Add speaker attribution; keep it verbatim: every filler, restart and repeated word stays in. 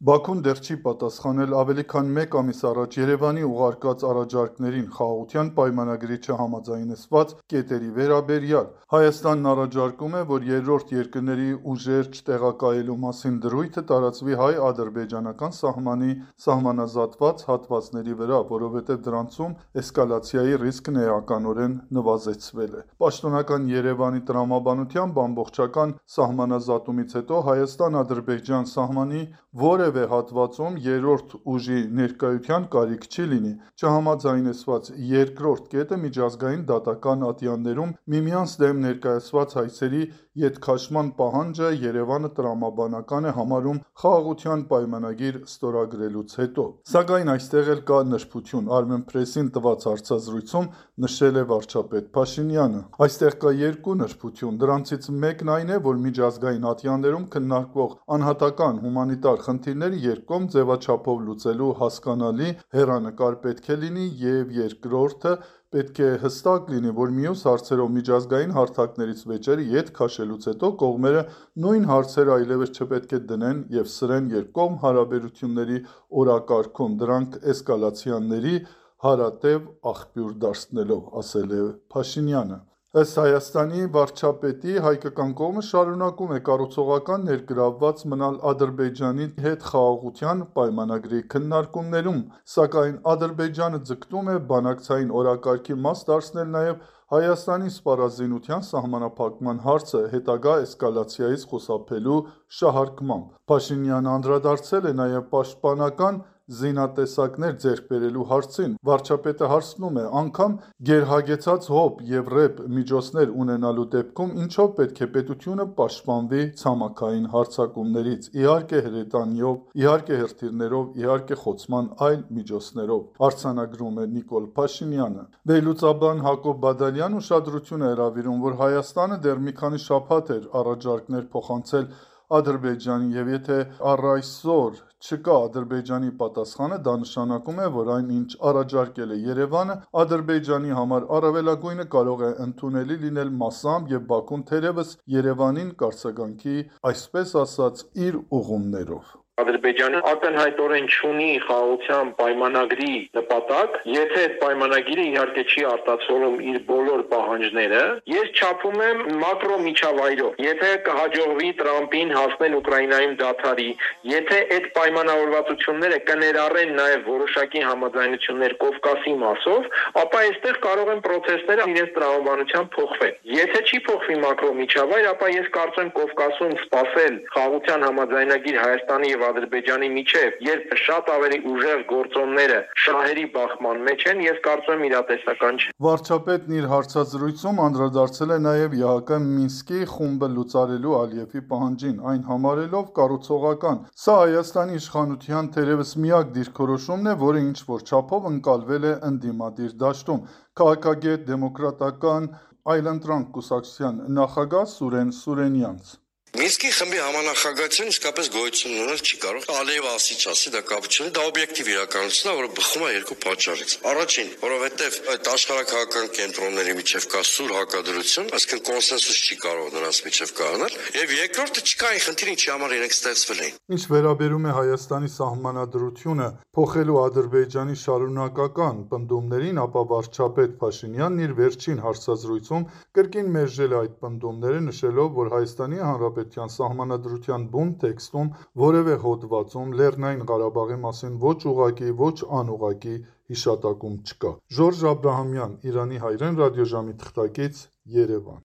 Speaker 1: Բաքուն դեռ չի պատասխանել ավելի քան մեկ ամիս առաջ Երևանի ուղարկած առաջարկներին խաղաղության պայմանագրի չհամաձայնեցված կետերի վերաբերյալ։ Հայաստանն առաջարկում է, որ երրորդ երկրների ուժեր չտեղակայելու մասին դրույթը տարածվի հայ-ադրբեջանական սահմանի սահմանազատված հատվածների վրա, որովհետև դրանցում էսկալացիայի ռիսկն էականորեն նվազեցվել է։ Պաշտոնական Երևանի տրամաբանությամբ ամբողջական սահմանազատումից հետո Հայաստան-Ադրբեջան սահմանի որևէ հատվածում երրորդ ուժի ներկայության կարիք չի լինի։ Չհամաձայնեցված երկրորդ կետը միջազգային դատական ատյաններում միմյանց դեմ ներկայացված հայցերի ետքաշման պահանջը Երևանը տրամաբանական է համարում խաղաղության պայմանագիր ստորագրելուց հետո։ Սակայն այստեղ էլ կա նրբություն, Armenpress-ին տված հարցազրույցում նշել է վարչապետ Փաշինյանը։ Այստեղ կա երկու նրբություն, դրանցից մեկն այն է, որ միջազգային ատյաններում քննարկվող անհատական հումանիտար խնդիրները երկկողմ ձևաչափով լուծելու հասկանալի հեռանկար պետք է լինի, և երկրորդը պետք է հստակ լինի, որ մյուս հարցերով միջազգային հարթակներից վեճերը ետ քաշելուց հետո կողմերը նույն հարցերը այլևս չպետք է դնեն և սրեն երկկողմ հարաբերությունների օրակարգում, դրանք էսկալացիաների հարատև աղբյուր դարձնելով, ասել է Փաշինյանը։ Ըստ Հայաստանի վարչապետի, հայկական կողմը շարունակում է կառուցողական ներգրավված մնալ Ադրբեջանի հետ խաղաղության պայմանագրի քննարկումներում, սակայն Ադրբեջանը ձգտում է բանակցային օրակարգի մաս դարձնել նաև Հայաստանի սպառազինության սահմանափակման հարցը հետագա էսկալացիայից խուսափելու շահարկմամբ։ Փաշինյանը անդրադարձել է նաև պաշտպանական զինատեսակներ ձեռք բերելու հարցին։ Վարչապետը հարցնում է. անգամ գերհագեցած հոբ և ռեբ միջոցներ ունենալու դեպքում ինչով պետք է պետությունը պաշտպանվի ցամաքային հարձակումներից, իհարկե հրետանիով, իհարկե հրթիռներով, իհարկե խոցման այլ միջոցներով, արձանագրում է Նիկոլ Փաշինյանը։ Վերլուծաբան Հակոբ Բադալյանն ուշադրություն է հրավիրում, որ Հայաստանը դեռ մի քանի շաբաթ էր առաջարկներ փոխանցել Ադրբեջանին, և եթե առ այսօր չկա Ադրբեջանի պատասխանը, դա նշանակում է, որ այն, ինչ առաջարկել է Երևանը, Ադրբեջանի համար առավելագույնը կարող է ընդունելի լինել մասամբ, և Բաքուն թերևս Երևանին կարձագանքի, այսպես ասած, իր ուղումներով։
Speaker 2: Ադրբեջանը ակնհայտորեն չունի խաղաղության պայմանագրի նպատակ, եթե այդ պայմանագիրը իհարկե չի արտացոլում իր բոլոր պահանջները, ես չափում եմ մակրո միջավայրով։ Եթե կհաջողվի Տրամպին հասնել Ուկրաինայում դադարի, եթե այդ պայմանավորվածությունները կներառեն նաև որոշակի համաձայնություններ Կովկասի մասով, ապա այստեղ կարող են պրոցեսները իրենց տրամաբանությամբ փոխվել։ Եթե չի փոխվի մակրո միջավայր, ապա ես կարծում եմ Կովկասում սպասել խաղաղության համաձայնագիր Հայաստանի և Ադրբեջանի միջև, երբ շատ ավելի ուժեղ գործոնները շահերի բախման մեջ են, ես կարծում եմ իրատեսական չէ։
Speaker 1: Վարչապետն իր հարցազրույցում անդրադարձել է նաև ԵԱՀԿ Մինսկի խումբը լուծարելու Ալիևի պահանջին, այն համարելով կառուցողական։ Սա Հայաստանի իշխանության թերևս միակ դիրքորոշումն է, որը ինչ-որ չափով ընկալվել է ընդդիմադիր դաշտում։ Քաղաքագետ, դեմոկրատական այլընտրանք կուսակցության նախագահ Սուրեն Սուրենյանց.
Speaker 3: Մինսկի խմբի համանախագահություն իսկապես գոյություն ունենալ չի կարող։ Ալիևը ասի չասի, դա կապ չունի, դա օբյեկտիվ իրականություն է, որը բխում է երկու պատճառից։ Առաջին, որովհետև այդ աշխարհաքաղաքական կենտրոնների միջև կա սուր հակադրություն, այսինքն կոնսենսուս չի կարող նրանց միջև կայանալ, եւ երկրորդը չկա այն խնդիրը, ինչի համար իրենք ստեղծվել էին։
Speaker 1: Ինչ վերաբերում է Հայաստանի սահմանադրությունը փոխելու Ադրբեջանի շարունակական պնդումներին, ապա վարչապետ Փաշինյանն իր վերջին հարցազրույցում կրկին մերժել է այդ պնդումները, նշելով, որ Հայաստանի Հանրապետության սահմանադրության բուն տեքստում որևէ հոդվածում Լեռնային Ղարաբաղի մասին ոչ ուղղակի, ոչ անուղղակի հիշատակում չկա։ Ժորժ Աբրահամյան, Իրանի հայրեն ռադիոժամի թղթակից, Երևան։